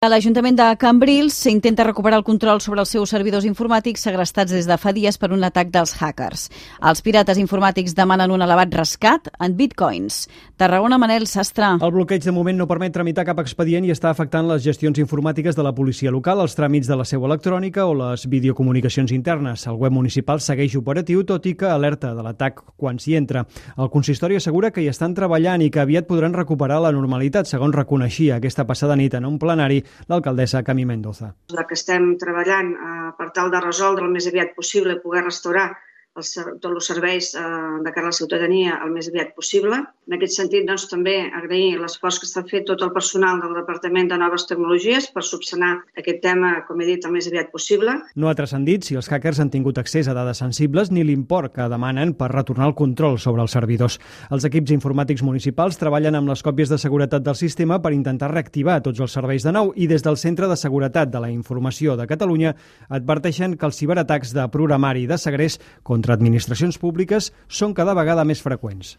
A l'Ajuntament de Cambrils s'intenta recuperar el control sobre els seus servidors informàtics segrestats des de fa dies per un atac dels hackers. Els pirates informàtics demanen un elevat rescat en bitcoins. Tarragona, Manel Sastre. El bloqueig de moment no permet tramitar cap expedient i està afectant les gestions informàtiques de la policia local, els tràmits de la seu electrònica o les videocomunicacions internes. El web municipal segueix operatiu, tot i que alerta de l'atac quan s'hi entra. El consistori assegura que hi estan treballant i que aviat podran recuperar la normalitat, segons reconeixia aquesta passada nit en un plenari l'alcaldessa Camí Mendoza. Que estem treballant per tal de resoldre el més aviat possible, poder restaurar tots els serveis de cara a la ciutadania el més aviat possible. En aquest sentit, també agrair l'esforç que està fet tot el personal del Departament de Noves Tecnologies per subsanar aquest tema, com he dit, el més aviat possible. No ha transcendit si els hackers han tingut accés a dades sensibles ni l'import que demanen per retornar el control sobre els servidors. Els equips informàtics municipals treballen amb les còpies de seguretat del sistema per intentar reactivar tots els serveis de nou i des del Centre de Seguretat de la Informació de Catalunya adverteixen que els ciberatacs de programari i de segrest contra administracions públiques són cada vegada més freqüents.